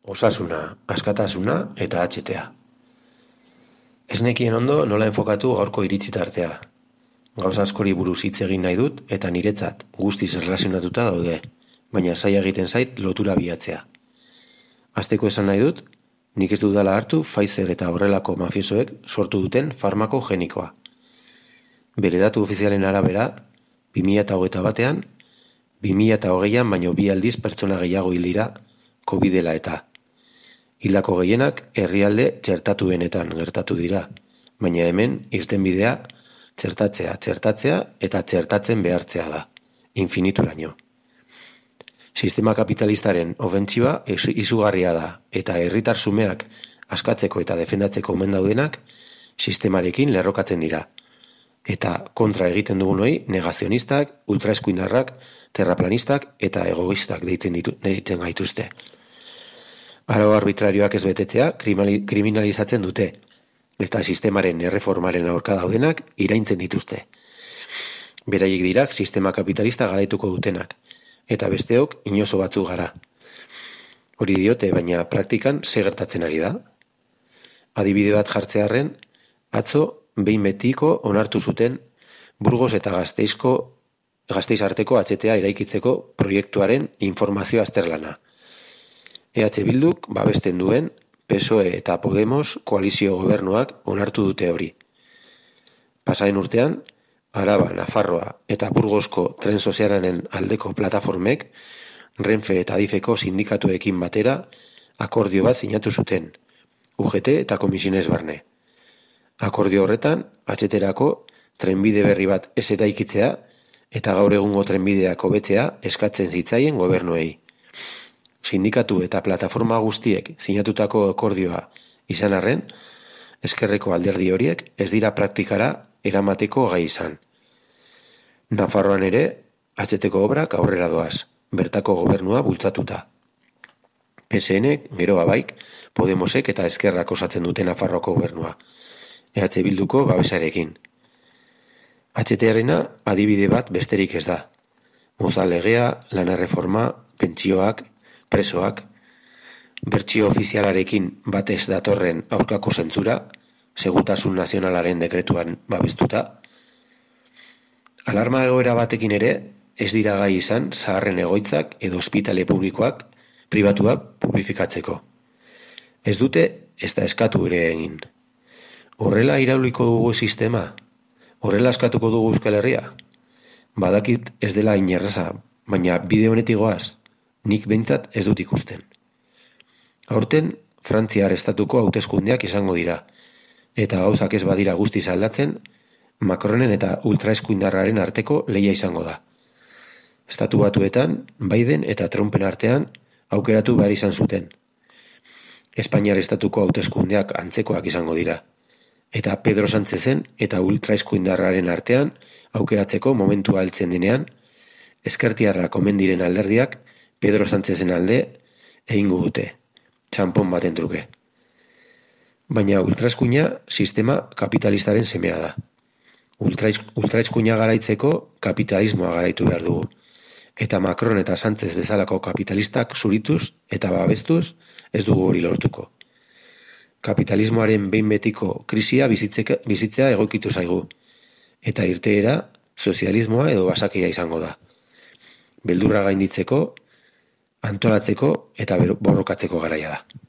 Osasuna, askatasuna eta HTA. Ez nekien ondo nola enfokatu gaurko iritzi tartea. Gauza askori buruz hitz egin nahi dut eta niretzat guztiz erlazionatuta daude, baina zaila egiten zait lotura bilatzea. Hasteko esan nahi dut, nik ez dudala hartu Pfizer eta horrelako mafiosoek sortu duten farmako genikoa. Bere datu ofizialen arabera, 2021 batean, 2020an baino 2 aldiz pertsona gehiago hil dira COVID dela eta. Hildako gehienak herrialde txertatuenetan gertatu dira, baina hemen irtenbidea txertatzea eta txertatzen behartzea da, infinituraino. Sistema kapitalistaren ofentsiba izugarria da eta herritar xumeak askatzeko eta defendatzeko omen daudenak sistemarekin lerrokatzen dira. Eta kontra egiten dugunoi negazionistak, ultraeskuindarrak, terraplanistak eta egoistak deitzen gaituzte. Arau arbitrarioak ez betetzea kriminalizatzen dute, eta sistemaren erreformaren aurka daudenak iraintzen dituzte. Beraiek dirak sistema kapitalista garaituko dutenak, eta besteok inozo batzu gara. Hori diote, baina praktikan ze gertatzen ari da? Adibide bat jartzearren, atzo behin betiko onartu zuten Burgos eta Gasteiz arteko HTA eraikitzeko proiektuaren informazio azterlana. EH Bilduk babesten duen PSOE eta Podemos koalizio gobernuak onartu dute hori. Pasaen urtean, Araba, Nafarroa eta Burgosko tren sozialaren aldeko plataformek Renfe eta Adifeko sindikatuekin batera akordio bat sinatu zuten, UGT eta Komisiones Barne. Akordio horretan, HT-rako trenbide berri bat ez eraikitzea eta gaur egungo trenbideak hobetzea eskatzen zitzaien gobernuei. Sindikatu eta plataforma guztiek sinatutako akordioa izan arren, ezkerreko alderdi horiek ez dira praktikara eramateko gai izan. Nafarroan ere, HT-ko obrak aurrera doaz, bertako gobernua bultzatuta. PSN, gero abaik, Podemosek eta ezkerrak osatzen dute Nafarroko gobernua, EH Bilduko babesarekin. HT-arena adibide bat besterik ez da. Mozal legea, lana erreforma, pentsioak, presoak, bertsio ofizialarekin batez datorren aurkako zentzura, segurtasun nazionalaren dekretuan babestuta. Alarma egoera batekin ere, ez dira gai izan zaharren egoitzak edo ospitale pribatuak publifikatzeko. Ez dute, ez da eskatu ere egin. Horrela irauliko dugu sistema? Horrela eskatuko dugu Euskal Herria? Badakit ez dela inerraza, baina bide honetik goaz, nik behintzat ez dut ikusten. Aurten, Frantziar estatuko hauteskundeak izango dira, eta gauzak ez badira guztiz aldatzen, Macronen eta ultraeskuindarraren arteko lehia izango da. Estatu Batuetan, Biden eta Trumpen artean aukeratu behar izan zuten. Espainiar estatuko hauteskundeak antzekoak izango dira, eta Pedro Sánchezen eta ultraeskuindarraren artean aukeratzeko momentua heltzen denean, ezkertiarrak omen diren alderdiak Pedro Sánchezen alde egingo dute, txanpon baten truke. Baina ultraeskuina sistema kapitalistaren semea da. Ultraeskuina garaitzeko kapitalismoa garaitu behar dugu, eta Macron eta Sánchez bezalako kapitalistak zurituz eta babestuz ez dugu hori lortuko. Kapitalismoaren behin betiko krisia bizitzea egokitu zaigu, eta irteera sozialismoa edo basakeria izango da. Beldurra gainditzeko, antolatzeko eta borrokatzeko garaia da.